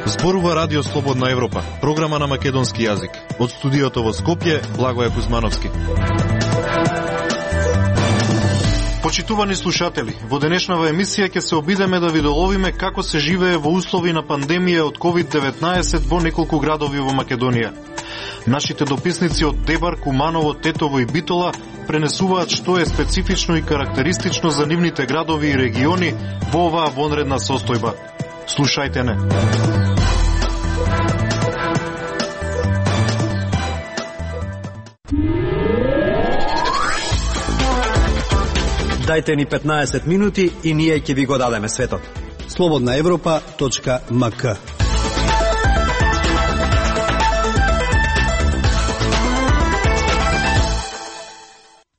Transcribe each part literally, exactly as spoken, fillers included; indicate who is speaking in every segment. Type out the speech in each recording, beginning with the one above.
Speaker 1: Зборува Радио Слободна Европа, програма на македонски јазик. Од студиото во Скопје, Благоје Кузмановски. Почитувани слушатели, во денешнава емисија ќе се обидеме да ви доловиме како се живее во услови на пандемија од ковид деветнаесет во неколку градови во Македонија. Нашите дописници од Дебар, Куманово, Тетово и Битола пренесуваат што е специфично и карактеристично за нивните градови и региони во оваа вонредна состојба. Слушајте не.
Speaker 2: Дајте ни петнаесет минути и ние ќе ви го дадеме светот.
Speaker 3: слободна европа точка ем ка.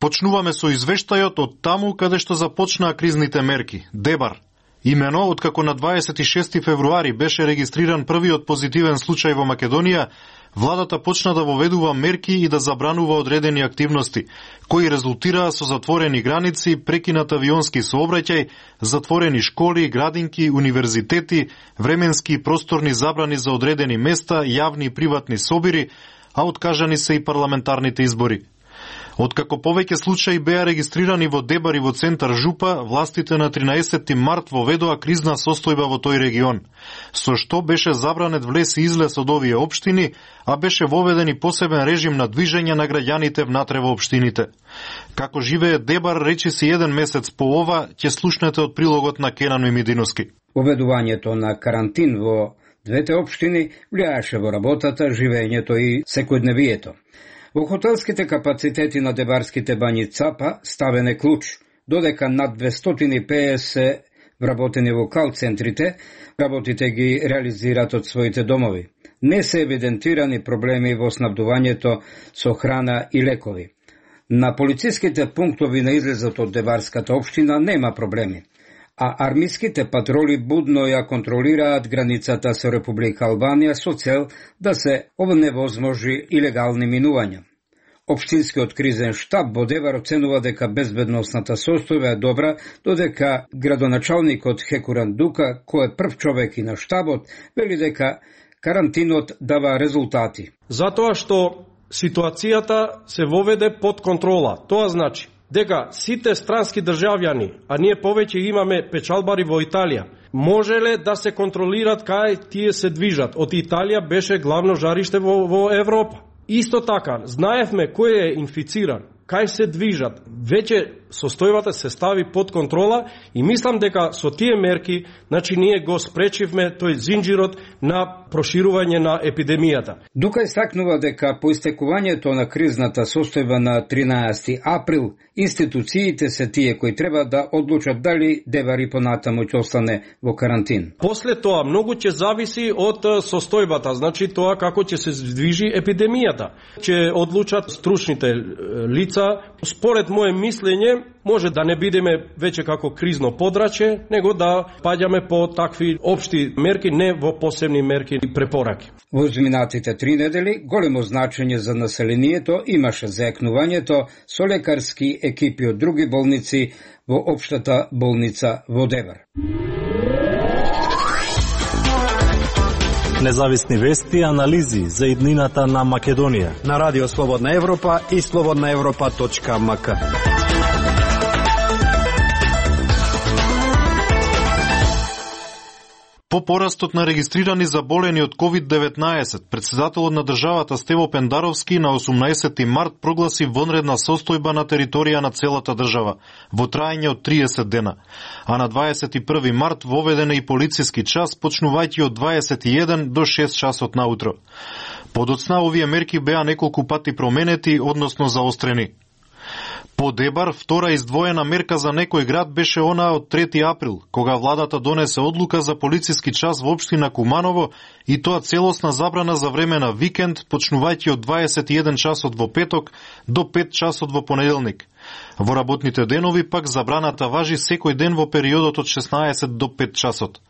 Speaker 1: Почнуваме со извештајот од таму каде што започнаа кризните мерки. Дебар. Имено, откако на дваесет и шести февруари беше регистриран првиот позитивен случај во Македонија, владата почна да воведува мерки и да забранува одредени активности, кои резултираа со затворени граници, прекинат авионски сообраќај, затворени школи, градинки, универзитети, временски и просторни забрани за одредени места, јавни и приватни собири, а откажани се и парламентарните избори. Откако повеќе случаи беа регистрирани во Дебар и во центар Жупа, властите на тринаесетти март воведоа кризна состојба во тој регион, со што беше забранет влез и излез од овие општини, а беше воведен и посебен режим на движење на граѓаните внатре во општините. Како живее Дебар, речиси еден месец по ова, ќе слушнете од прилогот на Кенан Мимидиновски.
Speaker 4: Воведувањето на карантин во двете општини влијаеше во работата, живењето и секојдневието. Во хотелските капацитети на дебарските бањи Цапа ставен е клуч, додека над двестоти и педесет вработени во кал-центрите, работите ги реализираат од своите домови. Не се евидентирани проблеми во снабдувањето со храна и лекови. На полициските пунктови на излезот од Дебарската општина нема проблеми, а армиските патроли будно ја контролираат границата со Република Албанија со цел да се оневозможи илегални минувања. Општинскиот кризен штаб во Дебар оценува дека безбедносната состојба е добра, додека градоначалникот Хекуран Дука, кој е прв човек и на штабот, вели дека карантинот дава резултати.
Speaker 5: Затоа што ситуацијата се воведе под контрола. Тоа значи дека сите странски државјани, а ние повеќе имаме печалбари во Италија, можеле да се контролираат кај тие се движат. Од Италија беше главно жариште во, во Европа. Исто така, знаевме кој е инфициран, кај се движат. Веќе состојбата се стави под контрола и мислам дека со тие мерки, значи ние го спречивме тој зинџирот на проширување на епидемијата.
Speaker 4: Дука истакнува дека по истекувањето на кризната состојба на тринаесети април, институциите се тие кои треба да одлучат дали Дебар и понатаму ќе остане во карантин.
Speaker 5: После тоа многу ќе зависи од состојбата, значи тоа како ќе се движи епидемијата. Ќе одлучат стручните лица. Според моје мислење, може да не бидеме веќе како кризно подрачје, него да паѓаме по такви општи мерки, не во посебни мерки и препораки.
Speaker 4: Во изминатите три недели големо значење за населението имаше заекнувањето со лекарски екипи од други болници во општата болница во Дебар.
Speaker 2: Независни вести и анализи за иднината на Македонија на Радио Слободна Европа и слободна европа точка ем ка.
Speaker 1: По порастот на регистрирани заболени од ковид деветнаесет, председателот на државата Стево Пендаровски на осумнаесетти март прогласи вонредна состојба на територија на целата држава, во траење од триесет дена, а на дваесет и први март воведен е и полициски час, почнувајќи од дваесет и еден до шест часот наутро. Подоцна овие мерки беа неколку пати променети, односно заострени. По Дебар, втора издвоена мерка за некој град беше она од трети април, кога владата донесе одлука за полициски час во општина Куманово и тоа целосна забрана за време на викенд, почнувајќи од дваесет и еден часот во петок до пет часот во понеделник. Во работните денови пак забраната важи секој ден во периодот од шеснаесет до пет часот.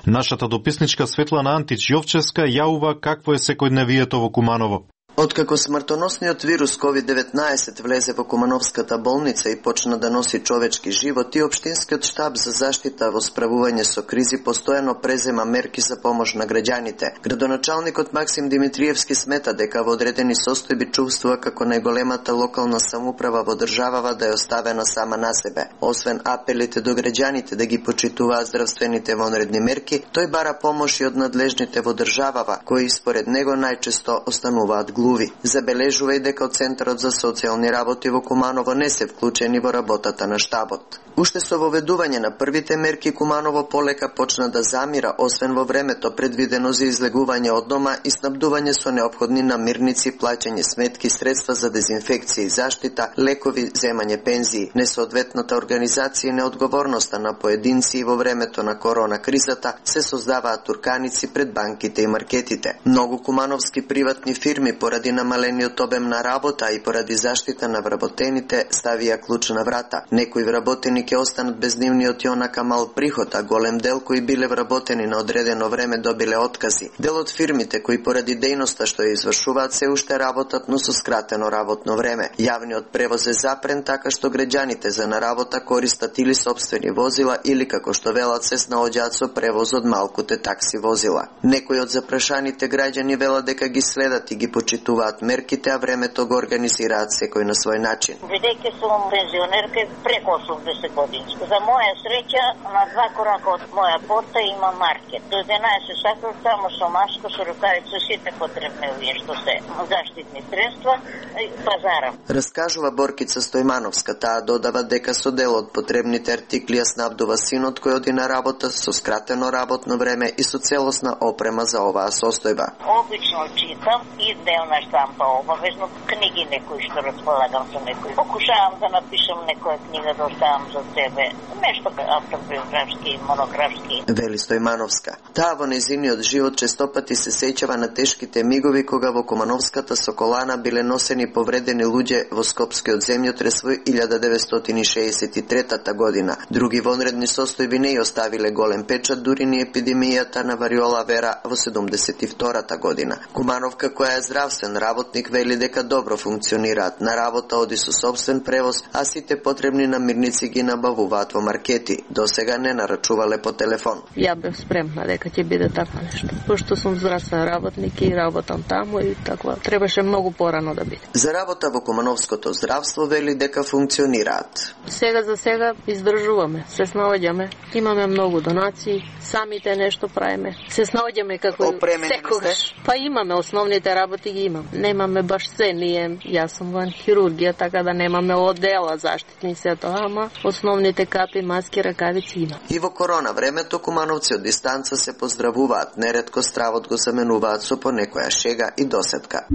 Speaker 1: Нашата дописничка Светлана Антич Јовчевска јавува какво е секојдневието во Куманово.
Speaker 6: Откако смртоносниот вирус ковид деветнаесет влезе во Кумановската болница и почна да носи човечки животи, општинскиот штаб за заштита во справување со кризи постојано презема мерки за помош на граѓаните. Градоначалникот Максим Димитриевски смета дека во одредени состојби чувствува како најголемата локална самоуправа во државава да е оставена сама на себе. Освен апелите до граѓаните да ги почитуваат здравствените вонредни мерки, тој бара помош и од надлежните во државава, кои според него најчесто остануваат глуви. Забележува и дека од Центарот за социјални работи во Куманово не се вклучени во работата на штабот. Уште со воведување на првите мерки, Куманово полека почна да замира, освен во времето предвидено за излегување од дома и снабдување со неопходни намирници, плаќање сметки, средства за дезинфекција и заштита, лекови, земање пензии. Несоодветната организација и неодговорноста на поединци во времето на корона кризата се создаваат турканици пред банките и маркетите. Многу кумановски приватни фирми поради намалениот обем на работа и поради заштита на вработените ставија клуч на врата. Некои вработени ќе останат без нивниот и онака мал приход, а голем дел кои биле вработени на одредено време добиле откази. Дел од фирмите кои поради дејноста што ја извршуваат се уште работат, но со скратено работно време. Јавниот превоз е запрен, така што граѓаните за на работа користат или сопствени возила или како што велат се снаоѓаат со превоз од малкуте такси возила. Некои од запрашаните граѓани велат дека ги следат и ги почитуваат мерките, а времето го организираат секој на свој начин.
Speaker 7: Бидејќи сум пензионерка преку осумдесет години. За моја среќа, на два корака од моја порта има маркет. До единаесет сака само со маско, со рукавица, сите потребни овие што се заштитни средства и пазара.
Speaker 6: Раскажува Боркица Стојмановска, таа додава дека со дел од потребните артикли ја снабдува синот кој оди на работа со скратено работно време и со целосна опрема за оваа состојба.
Speaker 7: Обично читам и делна штампа обавезно, книги некои што располагам со некои. Покушавам да напишам некоја книга да оставам за себе, нешто автобиографски, монографски. Вели
Speaker 6: Стојмановска. Таа во нејзиниот живот честопати се сеќава на тешките мигови кога во Кумановската Соколана биле носени повредени луѓе во Скопскиот земјотрес во илјада деветстотини шеесет и трета година. Други вонредни состојби не ја оставиле голем печат, дури ни епидемијата на вариола вера во седумдесет и втората година. Кумановка, која е здравствен работник, вели дека добро функционираат на работа, оди со собствен превоз, а сите потребни намирници ги набавуваат во маркети. До сега не нарачувале по телефон.
Speaker 8: Ја бев спремна дека ќе биде така нешто. Пошто сум здравствен работник и работам таму и така, требаше многу порано да биде.
Speaker 6: За работа во Кумановското здравство вели дека функционираат.
Speaker 8: Сега за сега издржуваме, се снаоѓаме. Имаме многу донации, самите нешто правиме. Се снаоѓаме како секогаш. Па имаме основните работи ги имам. Немаме баш се, ние, јас сум ван хирургија, така да немаме одела заштитни се тоа, ама основните капи, маски, ракавици има.
Speaker 6: И во корона времето кумановци од дистанца се поздравуваат, неретко стравот го заменуваат со по некоја шега и досетка.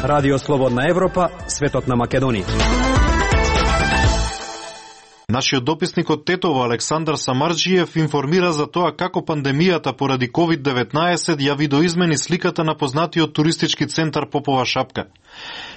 Speaker 2: Радио Слободна Европа, светот на Македонија.
Speaker 1: Нашиот дописник од Тетово Александар Самарџиев информира за тоа како пандемијата поради ковид деветнаесет ја видоизмени сликата на познатиот туристички центар Попова шапка.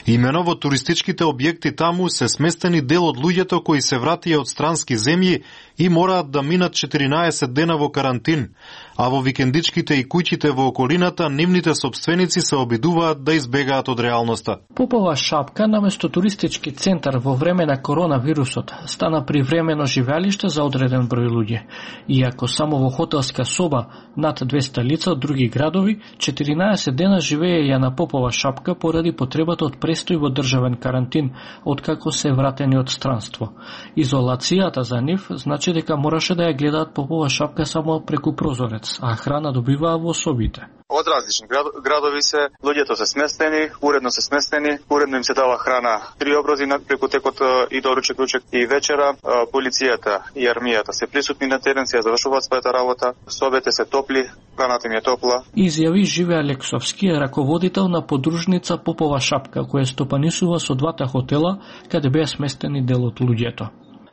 Speaker 1: Имено во туристичките објекти таму се сместени дел од луѓето кои се вратија од странски земји и мораат да минат четиринаесет дена во карантин, а во викендичките и куќите во околината нивните сопственици се обидуваат да избегаат од реалноста.
Speaker 9: Попова шапка наместо туристички центар во време на коронавирусот стана привремено живеалиште за одреден број луѓе. Иако само во хотелска соба над двесте лица од други градови, четиринаесет дена живееја на Попова шапка поради потребата од престој во државен карантин, откако се вратени од странство. Изолацијата за нив значи дека мораше да ја гледаат Попова шапка само преку прозорец, а храна добиваа во собите.
Speaker 10: Од различни градови се, луѓето се сместени, уредно се сместени, уредно им се дава храна три обрози преку текот и доручек, ручек и вечера. Полицијата и армијата се присутни на терен, се завршуваат својата работа, собите се топли, храната им е топла.
Speaker 9: Изјави Живе Алексовски, раководител на подружница Попова шапка, која стопанисува со двата хотела, каде беа сместени дел од луѓето.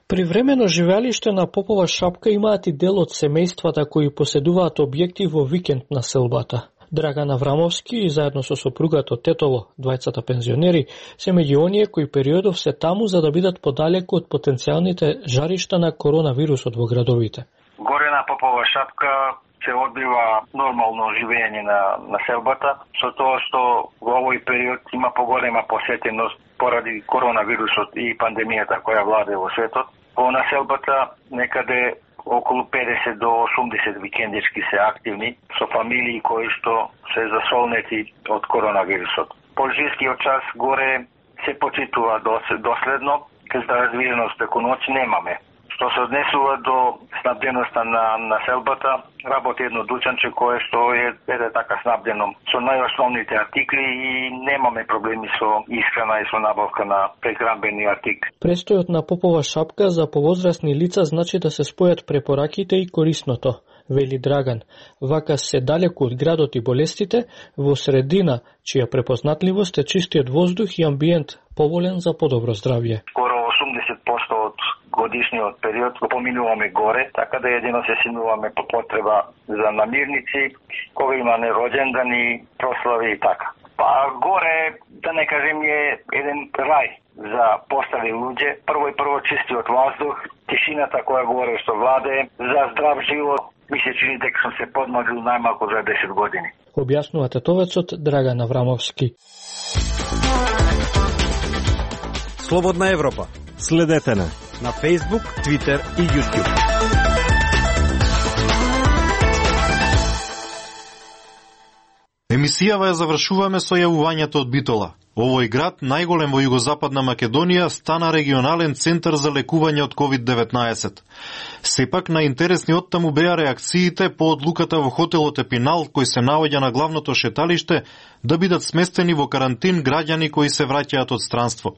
Speaker 9: Привремено живеалиште на Попова шапка имаат и дел од семејствата кои поседуваат објекти во викенд на селбата. Драган Аврамовски и заедно со сопругата Тетово, двајцата пензионери, се меѓу оние кои периодов се таму за да бидат подалеку од потенцијалните жаришта на коронавирусот во градовите.
Speaker 11: Горе на Попова шапка се одбива нормално живење на населбата, со тоа што во овој период има поголема посетеност поради коронавирусот и пандемијата која владее во светот. Во населбата некаде околу педесет до осумдесет викендички се активни со фамилии кои што се засолнети од коронавирусот. Полицискиот час горе се почитува доследно, за раздвиженост преку ноќ немаме. Што се однесува до снабденоста на населбата, работи едно дучанче кое што е еде така снабдено со најосновните артикли и немаме проблеми со исхрана и со набавка на прехранбени артикли.
Speaker 9: Престојот на Попова шапка за повозрастни лица значи да се спојат препораките и корисното, вели Драган. Вака се далеку од градот и болестите, во средина, чија препознатливост е чистиот воздух и амбиент, поволен за подобро здравје.
Speaker 11: Скоро осумдесет проценти од годишниот период го поминуваме горе, така да едино се симнуваме по потреба за намирници, кога има роđендани, прослави и така. Па горе, да не кажем, е еден рај за постари луѓе. Прво и прво чистиот воздух, тишината која горе што владее, за здрав живот. Ми се чини дека сум се подмагил најмалку за десет години.
Speaker 9: Објаснува тетовецот Драган Аврамовски.
Speaker 2: Слободна Европа. Следете на на Facebook, Twitter и YouTube.
Speaker 1: Емисијава ја завршуваме со јавувањето од Битола. Овој град, најголем во југозападна Македонија, стана регионален центар за лекување од ковид деветнаесет. Сепак, најинтересни од таму беа реакциите по одлуката во хотелот Епинал, кој се наоѓа на главното шеталиште, да бидат сместени во карантин граѓани кои се враќаат од странство.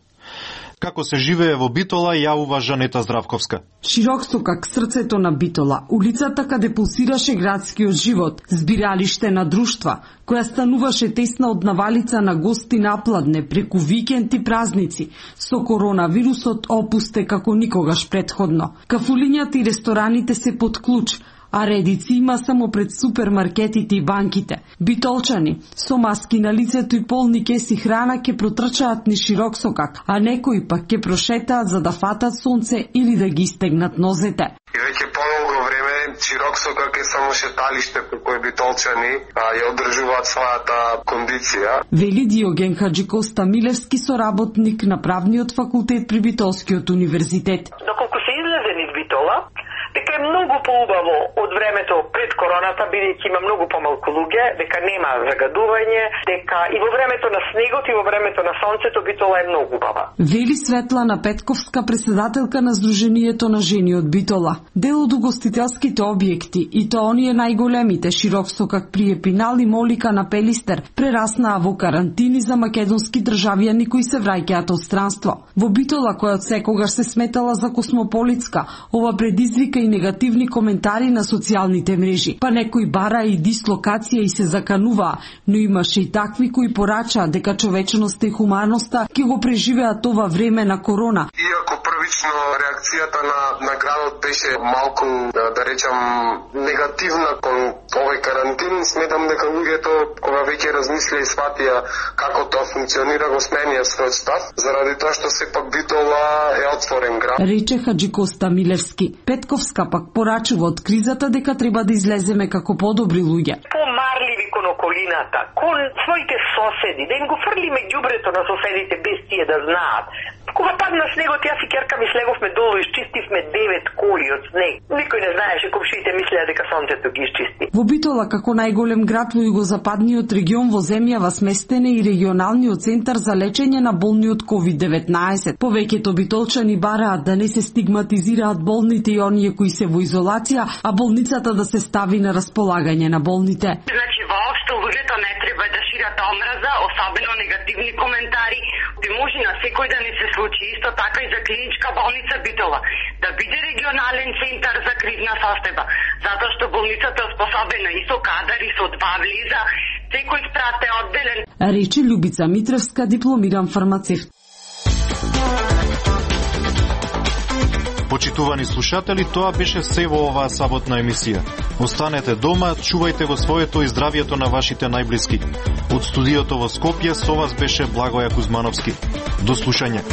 Speaker 1: Како се живее во Битола, јавува Жанета Здравковска.
Speaker 12: Широксокак, срцето на Битола, улицата каде пулсираше градскиот живот, збиралиште на друштва, која стануваше тесна од навалица на гости напладне преку викенд и празници, со коронавирусот опусте како никогаш претходно. Кафулињата и рестораните се под клуч, а редици има само пред супермаркетите и банките. Битолчани, со маски на лицето и полни кеси храна ке протрчаат ни Широксокак, а некои пак ке прошетаат за да фатат сонце или да ги стегнат нозете.
Speaker 13: И веќе помалку време Широксокак е само шеталиште по кој битолчани а, ја одржуваат својата кондиција.
Speaker 12: Вели Диоген Хаджикоста Милевски, соработник на правниот факултет при Битолскиот универзитет.
Speaker 14: Доколку се излезе низ Битола, дека е многу поубаво од времето пред короната, бидејќи има многу помалку луѓе, дека нема загадување, дека и во времето на снегот и во времето на сонцето Битола е многу убава.
Speaker 12: Вели Светлана Петковска, преседателка на Сдруженијето на жени од Битола. Дел од угостителските објекти, и тоа оние најголемите, Широксокак при Епинал и Молика на Пелистер, прераснаа во карантини за македонски државјани кои се враќаат од странство. Во Битола, која од секогаш се сметала за космополитска, ова предизвика и негативни коментари на социјалните мрежи. Па некои бара и дислокација и се закануваа, но имаше и такви кои порачаа дека човечноста и хуманоста ќе го преживеат ова време на корона.
Speaker 13: Иако првично реакцијата на, на градот беше малку, да, да речам, негативна кон овој карантин, сметам дека луѓето, кога веќе размислија и сватија како тоа функционира, го сменија својот став, заради тоа што сепак Битола е отворен град.
Speaker 12: Рече Хаджикоста Милевски. Петковска пак порачува од кризата дека треба да излеземе како подобри луѓе.
Speaker 14: Помарливи кон околината, кон своите соседи, да им го фрлиме ѓубрето на соседите без тие да знаат. Кога падна снегот, јас и ќерка ми слеговме долу, изчистивме девет коли од снег. Никој не знаеше, комшиите мислеа дека сонцето ги изчисти.
Speaker 12: Во Битола, како најголем град во југозападниот регион во земјава, сместен е и регионалниот центар за лечење на болни од ковид деветнаесет. Повеќето битолчани бараат да не се стигматизираат болните и оние кои се во изолација, а болницата да се стави на располагање на болните.
Speaker 15: Значи, воопшто луѓето не треба да шират омраза, особено негативни коментари. Би може на секој да не се случи, исто така и за клиничка болница Битола, да биде регионален центар за кризна состојба, затоа што болницата е способена и со кадар и со два влеза, секој спрат е одделен.
Speaker 12: Рече Љубица Митревска, дипломиран фармацевт.
Speaker 1: Почитувани слушатели, тоа беше се во оваа саботна емисија. Останете дома, чувајте го своето и здравието на вашите најблиски. Од студиото во Скопје со вас беше Благоја Кузмановски. До слушање.